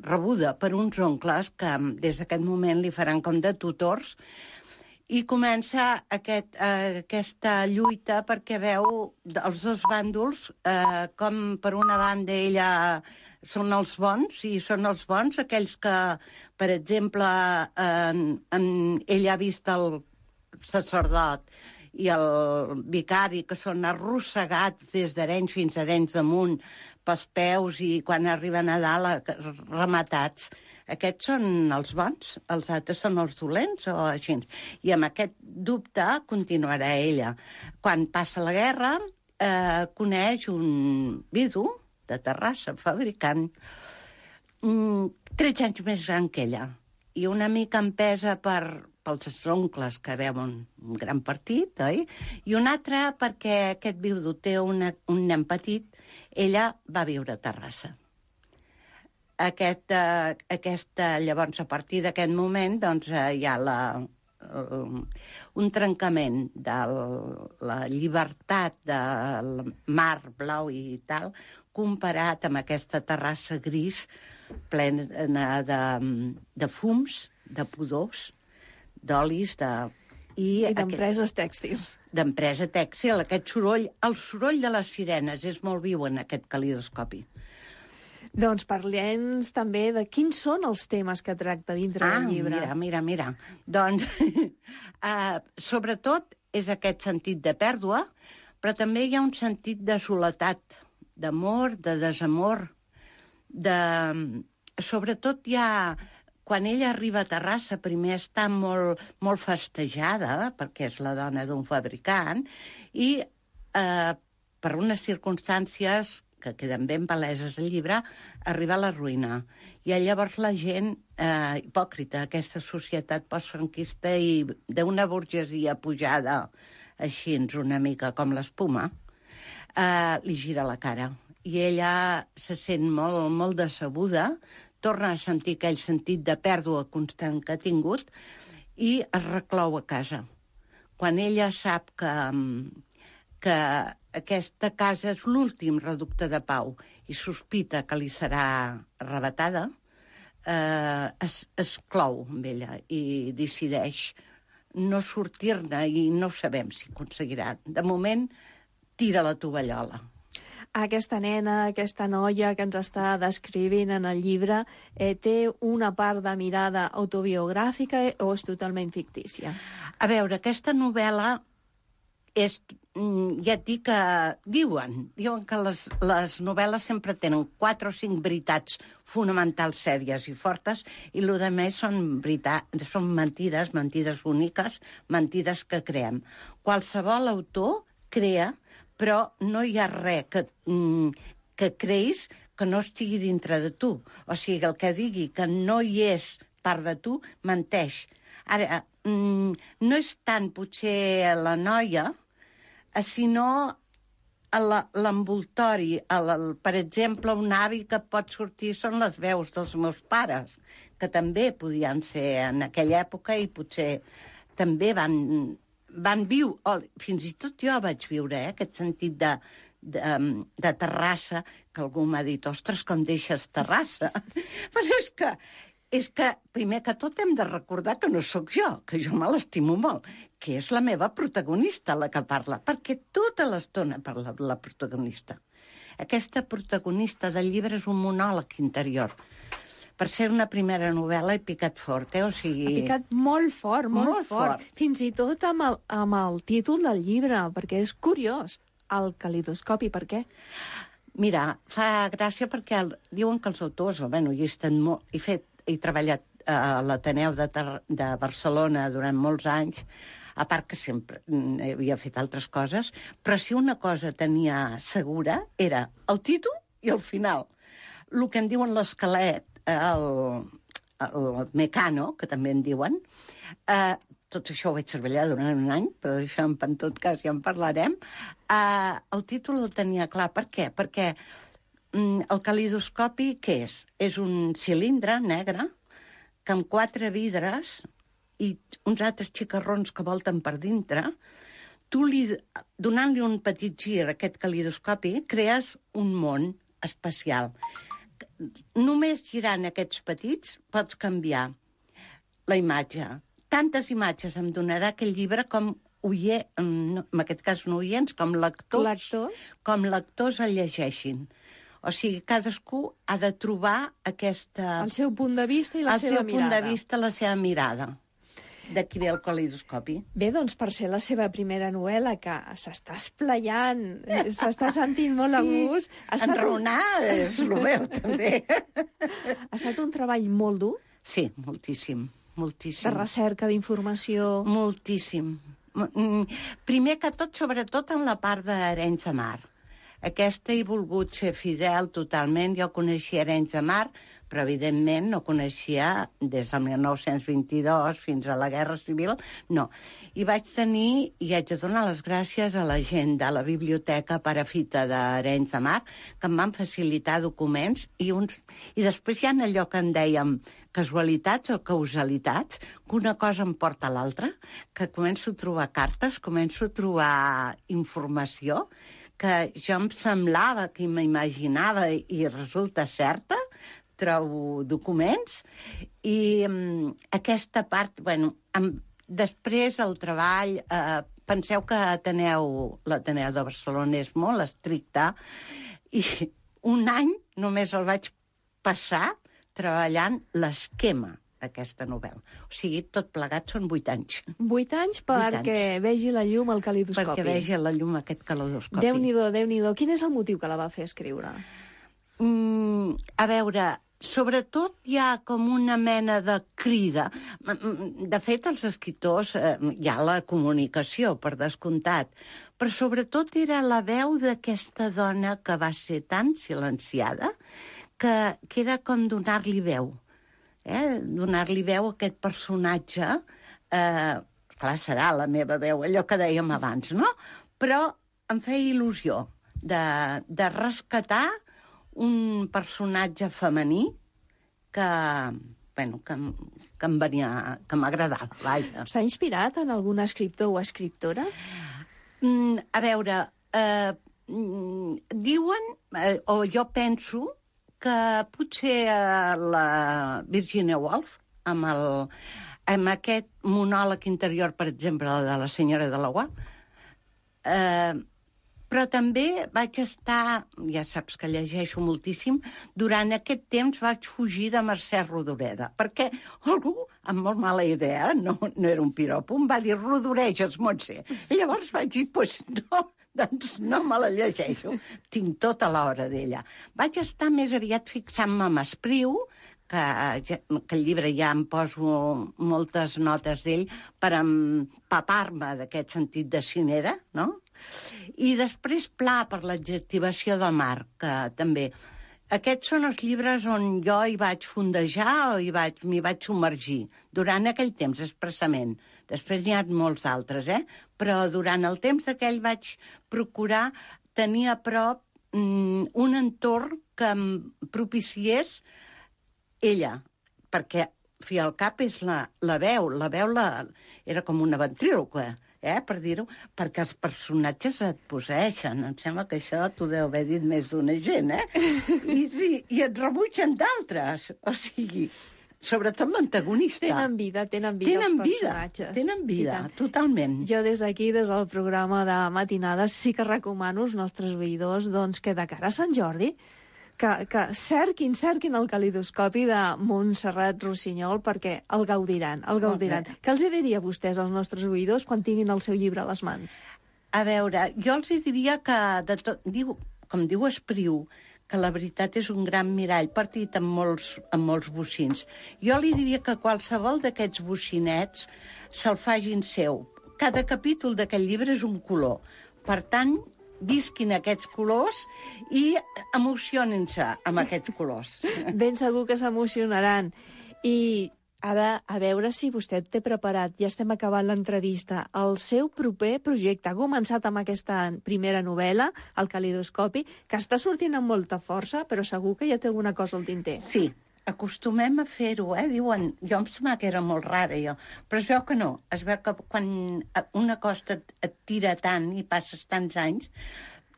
rebuda per uns oncles que des d'aquest moment li faran com de tutors, i comença aquest, eh, aquesta lluita perquè veu els dos bàndols, eh, com per una banda ella són els bons, i són els bons aquells que, per exemple, eh, en, ella ha vist el sacerdot i el vicari, que són arrossegats des d'Arenys fins a Arenys d'Amunt pels peus, i quan arriben a dalt rematats. Aquests són els bons, els altres són els dolents, o així. I amb aquest dubte continuarà ella. Quan passa la guerra, eh, coneix un vidu de Terrassa, fabricant, mm, tretze anys més gran que ella, i una mica empesa per, pels oncles que veuen un gran partit, oi? I un altre perquè aquest viudo té una, un nen petit, ella va viure a Terrassa. Aquesta, aquesta, llavors, a partir d'aquest moment, doncs, hi ha la, un trencament de la llibertat del mar blau i tal, comparat amb aquesta terrassa gris plena de, de fums, de pudors, d'olis, de... I, I d'empreses aquest... tèxtils. D'empresa tèxtil, aquest soroll, el soroll de les sirenes és molt viu en aquest calidoscopi. Doncs parlem també de quins són els temes que tracta dintre ah, del llibre. mira, mira, mira. Doncs, uh, sobretot, és aquest sentit de pèrdua, però també hi ha un sentit de soledat, d'amor, de desamor, de... Sobretot hi ha... Quan ella arriba a Terrassa, primer està molt, molt festejada, perquè és la dona d'un fabricant, i eh, per unes circumstàncies que queden ben paleses al llibre, arriba a la ruïna. I llavors la gent eh, hipòcrita, aquesta societat postfranquista i d'una burgesia pujada així, una mica com l'espuma, eh, li gira la cara. I ella se sent molt, molt decebuda, torna a sentir aquell sentit de pèrdua constant que ha tingut i es reclou a casa. Quan ella sap que, que aquesta casa és l'últim reducte de pau i sospita que li serà arrebatada, eh, es, es clou amb ella i decideix no sortir-ne i no sabem si aconseguirà. De moment, tira la tovallola. Aquesta nena, aquesta noia que ens està descrivint en el llibre, eh, té una part de mirada autobiogràfica o és totalment fictícia? A veure, aquesta novel·la és, ja et dic que diuen, diuen que les, les novel·les sempre tenen quatre o cinc veritats fonamentals sèries i fortes i el que més són, veritat, són mentides, mentides úniques, mentides que creem. Qualsevol autor crea, però no hi ha res que, que creïs que no estigui dintre de tu. O sigui, el que digui que no hi és part de tu, menteix. Ara, no és tant potser la noia, sinó l'envoltori. Per exemple, un avi que pot sortir són les veus dels meus pares, que també podien ser en aquella època i potser també van... van viure, oh, fins i tot jo vaig viure, eh, aquest sentit de, de, de Terrassa, que algú m'ha dit, ostres, com deixes Terrassa? Però és que, és que, primer que tot hem de recordar que no sóc jo, que jo me l'estimo molt, que és la meva protagonista la que parla, perquè tota l'estona parla la protagonista. Aquesta protagonista del llibre és un monòleg interior. Per ser una primera novel·la he picat fort, eh? O sigui... Ha picat molt fort, molt, molt fort. fort. Fins i tot amb el, amb el títol del llibre, perquè és curiós. El calidoscopi, per què? Mira, fa gràcia perquè el, diuen que els autors, o bueno, hi estan molt... He, fet, he treballat a l'Ateneu de, de Barcelona durant molts anys, a part que sempre havia fet altres coses, però si una cosa tenia segura era el títol i el final. El que en diuen l'esquelet, El, el Mecano, que també en diuen. Eh, tot això ho vaig treballar durant un any, però això en tot cas ja en parlarem. Eh, el títol el tenia clar. Per què? Perquè mm, el calidoscopi, què és? És un cilindre negre que amb quatre vidres i uns altres xicarrons que volten per dintre, tu li, donant-li un petit gir a aquest calidoscopi, crees un món espacial. Només girant aquests petits pots canviar la imatge. Tantes imatges em donarà aquell llibre com oie, en aquest cas no oients, com lectors, lectors, com lectors el llegeixin. O sigui, cadascú ha de trobar aquesta... El seu punt de vista i la seva mirada. El seu punt de vista, la seva mirada. D'aquí ve el calidoscopi. Bé, doncs, per ser la seva primera novel·la, que s'està esplayant, s'està sentint molt sí, a gust... enraonar un... és el meu, també. Ha estat un treball molt dur? Sí, moltíssim, moltíssim. De recerca, d'informació... Moltíssim. Primer que tot, sobretot en la part d'Arenys de Mar. Aquesta he volgut ser fidel totalment. Jo coneixia Arenys de Mar, però evidentment no coneixia des del mil nou-cents vint-i-dos fins a la Guerra Civil, no. I vaig tenir, i haig de donar les gràcies a la gent de la Biblioteca Perafita d'Arenys de Mar, que em van facilitar documents, i, uns... i després hi ha allò que en dèiem casualitats o causalitats, que una cosa em porta a l'altra, que començo a trobar cartes, començo a trobar informació, que jo em semblava, que m'imaginava i resulta certa, trobo documents, i um, aquesta part, bueno, amb, després el treball, eh, penseu que Ateneu, l'Ateneu de Barcelona és molt estricte, i un any només el vaig passar treballant l'esquema d'aquesta novel·la. O sigui, tot plegat són vuit anys. Vuit anys perquè vegi la llum al calidoscopi. Perquè vegi la llum aquest calidoscopi. Déu-n'hi-do, Déu-n'hi-do. Quin és el motiu que la va fer escriure? Mm, a veure, sobretot hi ha com una mena de crida. De fet, els escriptors, eh, hi ha la comunicació, per descomptat, però sobretot era la veu d'aquesta dona que va ser tan silenciada que, que era com donar-li veu. Eh? Donar-li veu a aquest personatge, eh, clar, serà la meva veu, allò que dèiem abans, no? Però em feia il·lusió de, de rescatar un personatge femení que, bueno, que, que em venia, que m'agradava, vaja. S'ha inspirat en algun escriptor o escriptora? Mm, a veure, eh, diuen, eh, o jo penso, que potser eh, la Virginia Woolf, amb, el, amb aquest monòleg interior, per exemple, de la senyora de l'Aguà, eh, però també vaig estar, ja saps que llegeixo moltíssim, durant aquest temps vaig fugir de Mercè Rodoreda, perquè algú, amb molt mala idea, no, no era un piropo, em va dir, rodoreges, Montse. I llavors vaig dir, doncs pues no, doncs no me la llegeixo. Tinc tota l'hora d'ella. Vaig estar més aviat fixant-me amb Espriu, que, que el llibre ja em poso moltes notes d'ell per empapar-me d'aquest sentit de cinera, no? I després Pla, per l'adjectivació del mar, que també... Aquests són els llibres on jo hi vaig fondejar o hi vaig, m'hi vaig submergir, durant aquell temps, expressament. Després n'hi ha molts altres, eh? Però durant el temps d'aquell vaig procurar tenir a prop mm, un entorn que em propiciés ella, perquè fi al cap és la, la veu, la veu la, era com una ventríloca, eh, per dir-ho, perquè els personatges et posseixen. Em sembla que això t'ho deu haver dit més d'una gent, eh? I, sí, i et rebutgen d'altres. O sigui, sobretot l'antagonista. Tenen vida, tenen vida tenen els personatges. Vida, tenen vida, totalment. Jo des d'aquí, des del programa de matinades, sí que recomano als nostres oïdors doncs, que de cara a Sant Jordi que, que cerquin, cerquin el calidoscopi de Montserrat Rossinyol perquè el gaudiran, el gaudiran. Què els diria a vostès, als nostres oïdors, quan tinguin el seu llibre a les mans? A veure, jo els diria que, de tot, diu, com diu Espriu, que la veritat és un gran mirall partit amb molts, amb molts bocins. Jo li diria que qualsevol d'aquests bocinets se'l facin seu. Cada capítol d'aquest llibre és un color. Per tant, visquin aquests colors i emocionin-se amb aquests colors. Ben segur que s'emocionaran. I ara, a veure si vostè té preparat, ja estem acabant l'entrevista, el seu proper projecte. Ha començat amb aquesta primera novel·la, El calidoscopi, que està sortint amb molta força, però segur que ja té alguna cosa al tinter. Sí, acostumem a fer-ho, eh? Diuen, jo em sembla que era molt rara, jo. Però es veu que no. Es veu que quan una cosa et, et tira tant i passes tants anys,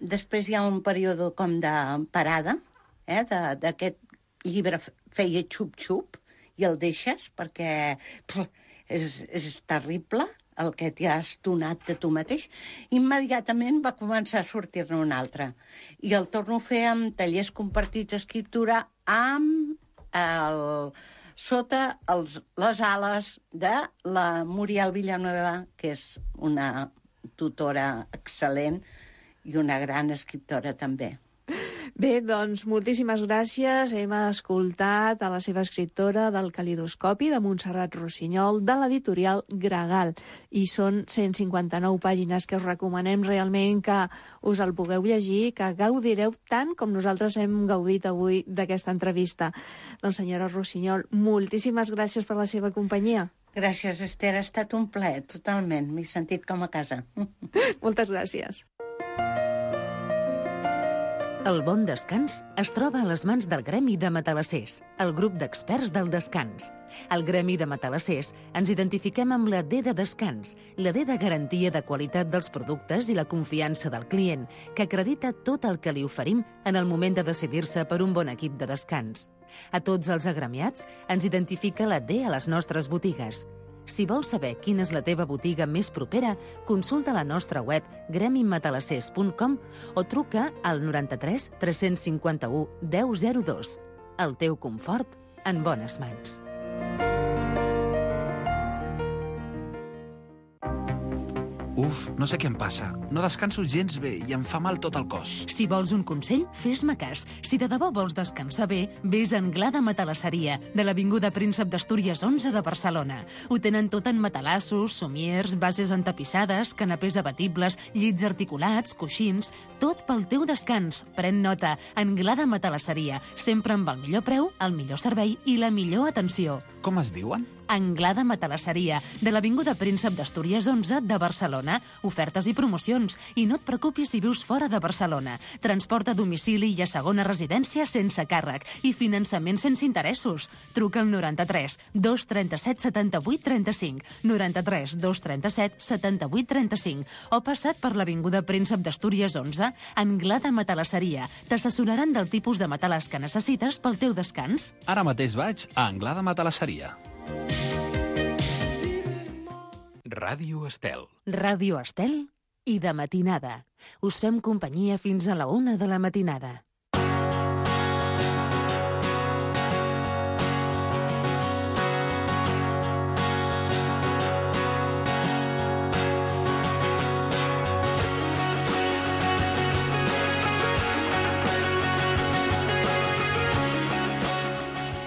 després hi ha un període com de parada, eh? D'aquest llibre feia xup-xup, i el deixes perquè pff, és, és terrible el que t'hi has donat de tu mateix. Immediatament va començar a sortir-ne un altre. I el torno a fer amb tallers compartits d'escriptura amb el, sota els, les ales de la Muriel Villanueva, que és una tutora excel·lent i una gran escriptora també. Bé, doncs, moltíssimes gràcies. Hem escoltat a la seva escriptora del Calidoscopi, de Montserrat Rossinyol, de l'editorial Gregal. I són cent cinquanta-nou pàgines que us recomanem realment que us el pugueu llegir, que gaudireu tant com nosaltres hem gaudit avui d'aquesta entrevista. Doncs, senyora Rossinyol, moltíssimes gràcies per la seva companyia. Gràcies, Esther. Ha estat un plaer, totalment. M'he sentit com a casa. Moltes gràcies. El bon descans es troba a les mans del Gremi de Matalassers, el grup d'experts del descans. Al Gremi de Matalassers ens identifiquem amb la D de descans, la D de garantia de qualitat dels productes i la confiança del client, que acredita tot el que li oferim en el moment de decidir-se per un bon equip de descans. A tots els agremiats ens identifica la D a les nostres botigues. Si vols saber quina és la teva botiga més propera, consulta la nostra web gremi matalassers punt com o truca al noranta-tres tres cinquanta-u deu zero dos. El teu confort en bones mans. Uf, no sé què em passa. No descanso gens bé i em fa mal tot el cos. Si vols un consell, fes-me cas. Si de debò vols descansar bé, vés a Anglada Matalasseria, de l'Avinguda Príncep d'Astúries onze de Barcelona. Ho tenen tot en matalassos, somiers, bases entapissades, canapés abatibles, llits articulats, coixins... Tot pel teu descans. Pren nota. Anglada Matalasseria. Sempre amb el millor preu, el millor servei i la millor atenció. Com es diuen? Anglada Matalasseria, de l'Avinguda Príncep d'Astúries onze de Barcelona. Ofertes i promocions. I no et preocupis si vius fora de Barcelona. Transport a domicili i a segona residència sense càrrec. I finançament sense interessos. Truca al noranta-tres dos trenta-set setanta-vuit trenta-cinc, noranta-tres dos trenta-set setanta-vuit trenta-cinc o passat per l'Avinguda Príncep d'Astúries onze, Anglada Matalasseria. T'assessoraran del tipus de matalàs que necessites pel teu descans. Ara mateix vaig a Anglada Matalasseria. Ràdio Estel. Ràdio Estel i de matinada. Us fem companyia fins a la una de la matinada.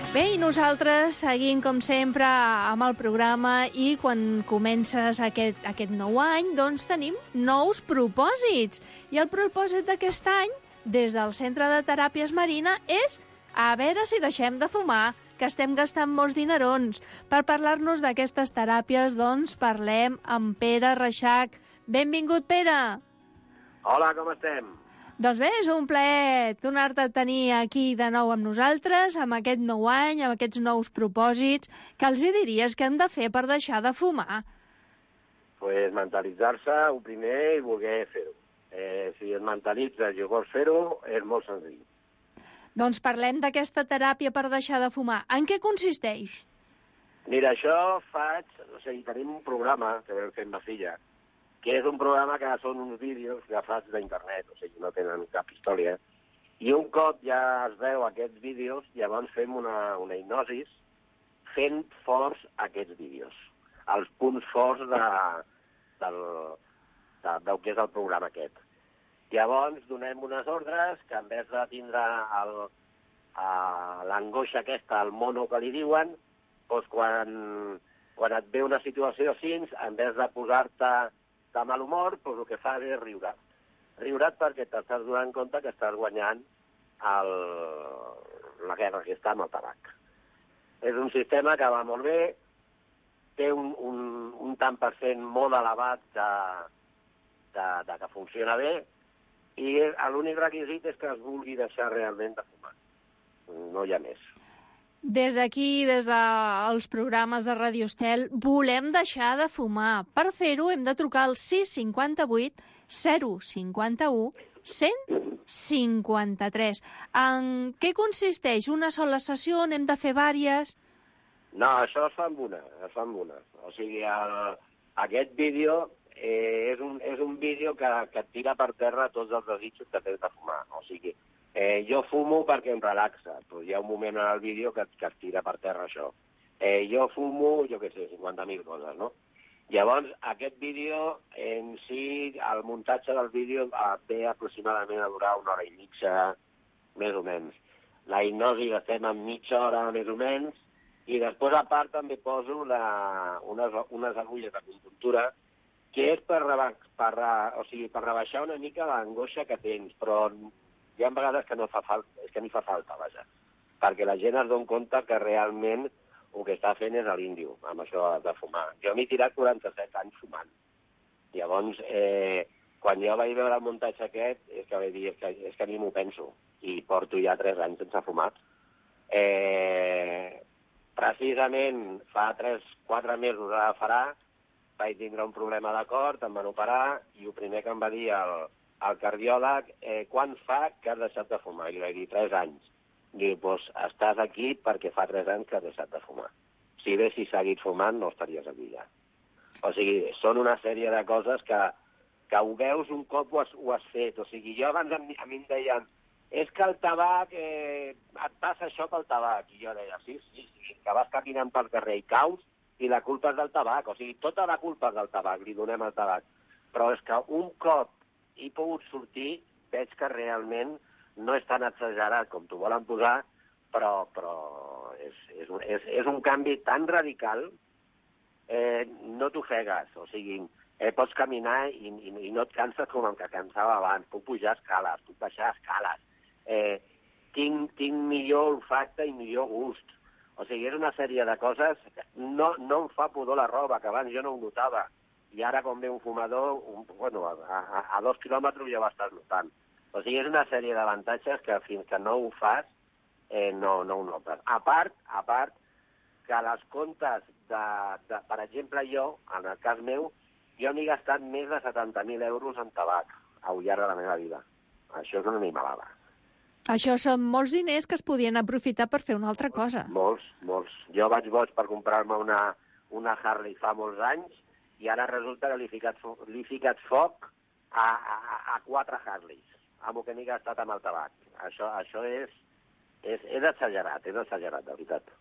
Bé, i nosaltres seguim, com sempre, amb el programa i quan comences aquest, aquest nou any, doncs tenim nous propòsits. I el propòsit d'aquest any, des del Centre de Teràpies Marina, és a veure si deixem de fumar, que estem gastant molts dinerons. Per parlar-nos d'aquestes teràpies, doncs, parlem amb Pere Reixac. Benvingut, Pere! Hola, com estem? Doncs bé, és un plaer tornar-te a tenir aquí de nou amb nosaltres, amb aquest nou any, amb aquests nous propòsits. Què els hi diries que han de fer per deixar de fumar? Pues mentalitzar-se, el primer, i voler fer-ho. Eh, si et mentalitzes i vols fer-ho, és molt senzill. Doncs parlem d'aquesta teràpia per deixar de fumar. En què consisteix? Mira, això faig... O sigui, tenim un programa que vam fer amb ma filla, que és un programa que són uns vídeos agafats d'internet, o sigui, no tenen cap història, i un cop ja es veu aquests vídeos, llavors fem una, una hipnosis fent forts aquests vídeos, els punts forts de, del, de, del que és el programa aquest. Llavors donem unes ordres que en vez de tindre l'angoixa aquesta, el mono que li diuen, doncs quan, quan et ve una situació així, en vez de posar-te de mal humor, doncs el que fas és riure. Riure't perquè t'estàs donant compte que estàs guanyant el, la guerra que està amb el tabac. És un sistema que va molt bé, té un, un, un tant per cent molt elevat de, de, de que funciona bé, i l'únic requisit és que es vulgui deixar realment de fumar. No hi ha més. Des d'aquí, des dels programes de Ràdio Estel, volem deixar de fumar. Per fer-ho hem de trucar al sis cinquanta-vuit zero cinquanta-u cent cinquanta-tres. En què consisteix? Una sola sessió? N'hem de fer vàries? No, això es fa amb una, es fa amb una. O sigui, el, aquest vídeo eh, és, un, és un vídeo que, que et tira per terra tots els desitjos que tens de fumar. O sigui, Eh, jo fumo perquè em relaxa, però hi ha un moment en el vídeo que, que es tira per terra això. Eh, jo fumo, jo què sé, cinquanta mil coses, no? Llavors, aquest vídeo en si, el muntatge del vídeo ve aproximadament a durar una hora i mitja, més o menys. La hipnosi la fem en mitja hora, més o menys, i després, a part, també poso la, unes, unes agulles d'acupuntura, que és per, reba, per, o sigui, per rebaixar una mica l'angoixa que tens, però hi ha vegades que no fa falta, és que ni fa falta, vaja, perquè la gent es dona compte que realment el que està fent és l'índio, amb això de fumar. Jo m'he tirat quaranta-set anys fumant. Llavors, eh, quan jo vaig veure el muntatge aquest, és que vaig dir, és que, és que ni m'ho penso, i porto ja tres anys sense fumar. Eh, precisament fa tres, quatre mesos ara farà, vaig tindre un problema de cor, em van operar, i el primer que em va dir el, el cardiòleg, eh, quan fa que has deixat de fumar? I li vaig dir, tres anys. Diu, doncs estàs aquí perquè fa tres anys que has deixat de fumar. Si haguessis seguit fumant, no estaries aquí ja. O sigui, són una sèrie de coses que, que ho veus un cop ho has, ho has fet. O sigui, jo abans a mi, a mi em deien, és que el tabac, eh, et passa això pel tabac. I jo deia, sí, sí, sí, que vas caminant pel carrer i caus, i la culpa és del tabac. O sigui, tota la culpa és del tabac, li donem al tabac. Però és que un cop he pogut sortir, veig que realment no és tan exagerat com t'ho volen posar, però, però és, és, un, és, és un canvi tan radical, eh, no t'ofegues, o sigui, eh, pots caminar i, i, i no et canses com el que cansava abans, puc pujar escales, puc baixar escales, eh, tinc, tinc millor olfacte i millor gust. O sigui, és una sèrie de coses, no, no em fa pudor la roba, que abans jo no ho notava, i ara quan ve un fumador, un, bueno, a, a, a dos quilòmetres ja ho estàs notant. O sigui, és una sèrie d'avantatges que fins que no ho fas, eh, no, no ho notes. A part, a part, que les comptes de, de... Per exemple, jo, en el cas meu, jo m'he gastat més de setanta mil euros en tabac al llarg de la meva vida. Això és una animalada. Això són molts diners que es podien aprofitar per fer una altra cosa. Molts, molts. Jo vaig boig per comprar-me una, una Harley fa molts anys i ara resulta que li he ficat, li he ficat foc a, a, a quatre Harleys, amb el que m'he gastat amb el tabac. Això, això és, és, és exagerat, és exagerat, de veritat.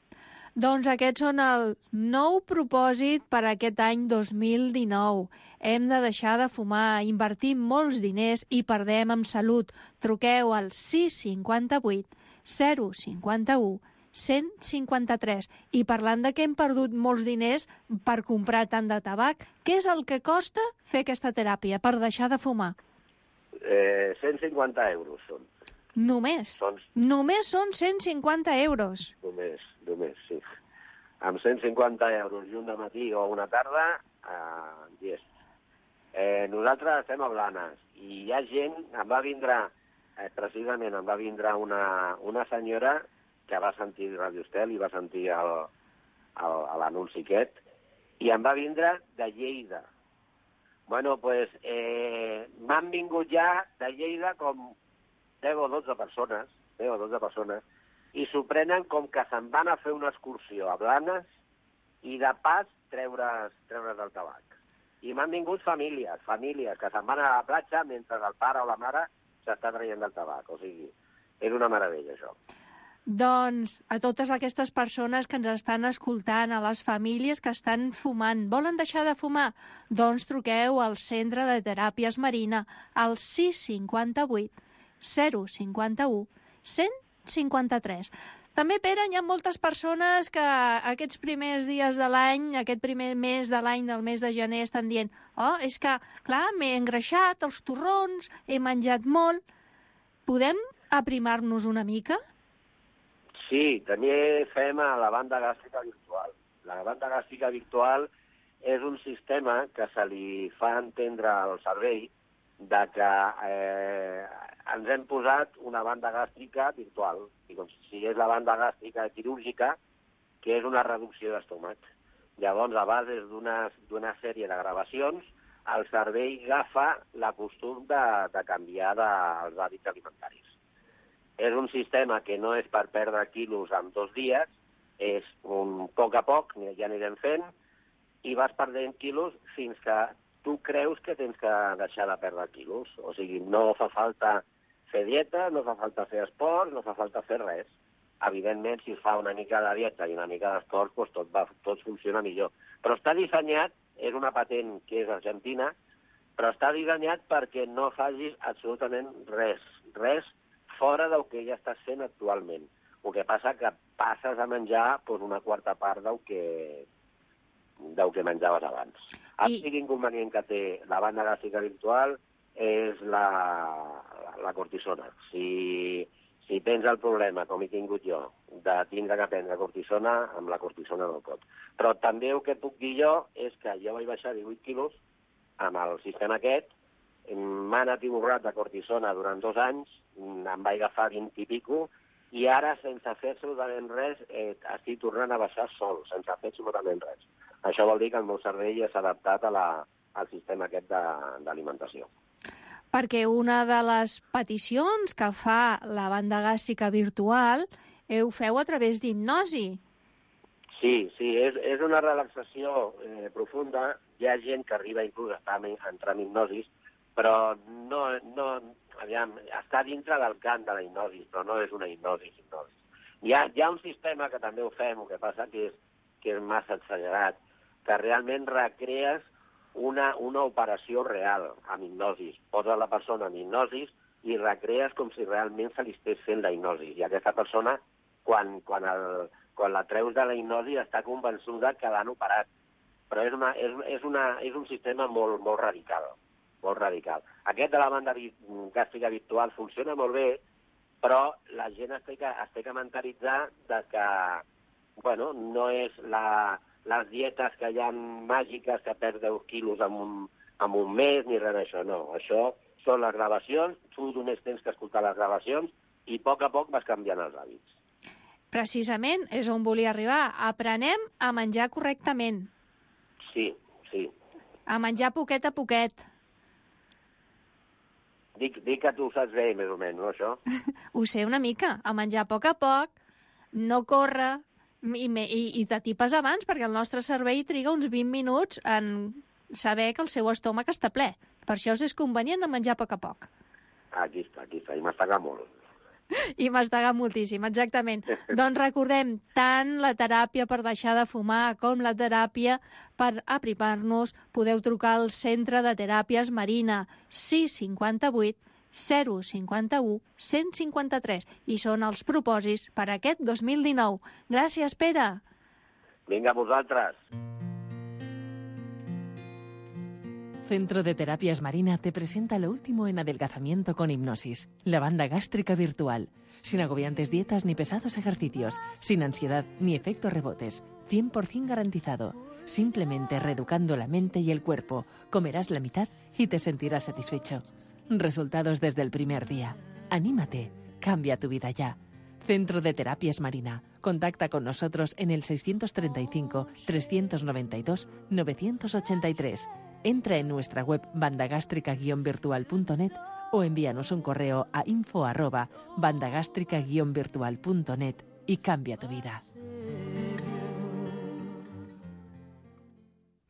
Doncs aquests són el nou propòsit per a aquest any dos mil dinou. Hem de deixar de fumar, invertir molts diners i perdem en salut. Truqueu al sis cinquanta-vuit zero cinquanta-u cent cinquanta-tres. I parlant de que hem perdut molts diners per comprar tant de tabac, què és el que costa fer aquesta teràpia per deixar de fumar? Eh, cent cinquanta euros són. Només? Són... Només són cent cinquanta euros? Només, només, sí. Amb cent cinquanta euros i un de matí o una tarda, eh, yes. Eh, nosaltres estem a Blanes i hi ha gent, em va vindre, eh, precisament em va vindre una, una senyora que va sentir Radio Estel i va sentir l'anunci aquest, i em va vindre de Lleida. Bueno, doncs, pues, eh, m'han vingut ja de Lleida com deu o dotze persones, deu o dotze persones, i s'ho prenen com que se'n van a fer una excursió a Blanes i de pas treure's, treure's el tabac. I m'han vingut famílies, famílies que se'n van a la platja mentre el pare o la mare s'està traient del tabac. O sigui, és una meravella, això. Doncs a totes aquestes persones que ens estan escoltant, a les famílies que estan fumant, volen deixar de fumar? Doncs truqueu al Centre de Teràpies Marina al sis cinquanta-vuit zero cinquanta-u cent cinquanta-tres. També, Pere, hi ha moltes persones que aquests primers dies de l'any, aquest primer mes de l'any, del mes de gener, estan dient oh, és que, clar, m'he engreixat els torrons, he menjat molt. Podem aprimar-nos una mica? Sí, també fem a la banda gàstrica virtual. La banda gàstrica virtual és un sistema que se li fa entendre al cervell de que eh, ens hem posat una banda gàstrica virtual, i com si és la banda gàstrica quirúrgica, que és una reducció d'estómac. Llavors, a base d'una sèrie de gravacions, el cervell agafa la costum de, de canviar de, els hàbits alimentaris. És un sistema que no és per perdre quilos en dos dies, és un poc a poc, ja anirem fent, i vas perdent quilos fins que tu creus que tens que deixar de perdre quilos. O sigui, no fa falta fer dieta, no fa falta fer esport, no fa falta fer res. Evidentment, si es fa una mica de dieta i una mica d'esport, doncs tot, va, tot funciona millor. Però està dissenyat, és una patent que és argentina, però està dissenyat perquè no facis absolutament res, res fora del que ja estàs fent actualment. El que passa que passes a menjar doncs, una quarta part del que, del que menjaves abans. El I... inconvenient que té la banda gàstrica virtual és la, la, la cortisona. Si, si tens el problema, com he tingut jo, de tindre que prendre cortisona, amb la cortisona no pot. Però també el que puc dir jo és que jo vaig baixar divuit quilos amb el sistema aquest, m'han atiborrat de cortisona durant dos anys, em vaig agafar vint i pico, i ara, sense fer absolutament res, eh, estic tornant a baixar sol, sense fer absolutament res. Això vol dir que el meu cervell s'ha adaptat a la, al sistema aquest d'alimentació. Perquè una de les peticions que fa la banda gàstrica virtual ho feu a través d'hipnosi. Sí, sí, és, és una relaxació eh, profunda. Hi ha gent que arriba inclús a entrar en hipnosis, però no, no, aviam, està dintre del camp de la hipnosi, però no és una hipnosi. hipnosi. Hi, ha, hi ha un sistema que també ho fem, el que passa que és, que és massa exagerat, que realment recrees una, una operació real amb hipnosis. Poses la persona en hipnosis i recrees com si realment se li estés fent la hipnosi. I aquesta persona, quan, quan, el, quan la treus de la hipnosi, està convençuda que l'han operat. Però és, una, és, és, una, és un sistema molt, molt radical. molt radical. Aquest de la banda gàstrica virtual funciona molt bé, però la gent es té que, es té que mentalitzar de que, bueno, no és la, les dietes que hi ha màgiques que perds deu quilos en un, en un mes, ni res d'això, no. Això són les gravacions, tu només tens que escoltar les gravacions i a poc a poc vas canviant els hàbits. Precisament és on volia arribar. Aprenem a menjar correctament. Sí, sí. A menjar poquet a poquet. Dic, dic que tu ho saps bé, més o menys, no, això? Ho sé una mica. A menjar a poc a poc, no córrer, i, i, i t'atipes abans, perquè el nostre cervell triga uns vint minuts en saber que el seu estómac està ple. Per això és convenient a menjar a poc a poc. Aquí està, aquí està, i m'estaga molt. I m'estaga moltíssim, exactament. Doncs recordem, tant la teràpia per deixar de fumar com la teràpia per aprimar-nos, podeu trucar al Centre de Teràpies Marina, sis cinquanta-vuit zero cinquanta-u cent cinquanta-tres, i són els propòsits per aquest dos mil dinou. Gràcies, Pere. Vinga, vosaltres. Centro de Terapias Marina te presenta lo último en adelgazamiento con hipnosis, la banda gástrica virtual, sin agobiantes dietas ni pesados ejercicios, sin ansiedad ni efectos rebotes, cien por ciento garantizado. Simplemente reeducando la mente y el cuerpo, comerás la mitad y te sentirás satisfecho. Resultados desde el primer día. Anímate, cambia tu vida ya. Centro de Terapias Marina. Contacta con nosotros en el seiscientos treinta y cinco, trescientos noventa y dos, novecientos ochenta y tres. Entra en nuestra web bandagástrica guion virtual punto net o envíanos un correo a info arroba bandagástrica guion virtual punto net y cambia tu vida.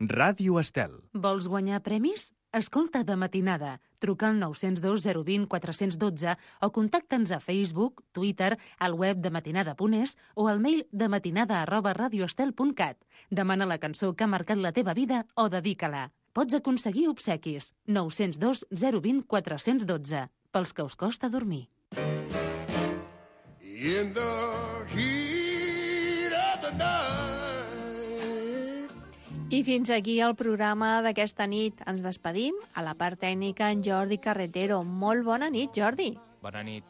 Ràdio Estel. Vols guanyar premis? Escolta De Matinada. Truca al nou zero dos zero dos zero quatre un dos o contacta'ns a Facebook, Twitter, al web de matinada punt es o al mail de matinada arroba radioestel punt cat. Demana la cançó que ha marcat la teva vida o dedica-la. Pots aconseguir obsequis. nou zero dos zero dos zero quatre un dos. Pels que us costa dormir. In the heat of the night. I fins aquí el programa d'aquesta nit. Ens despedim. A la part tècnica, en Jordi Carretero. Molt bona nit, Jordi. Bona nit.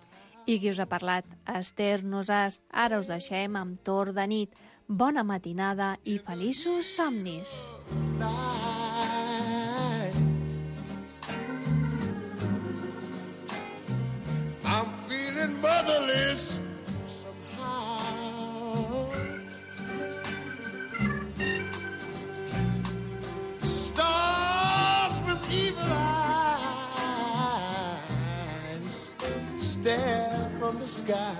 I qui us ha parlat? Esther Nosàs. Ara us deixem amb Torn de nit. Bona matinada i feliços somnis. I'm feeling motherless somehow. Stars with evil eyes stare from the sky.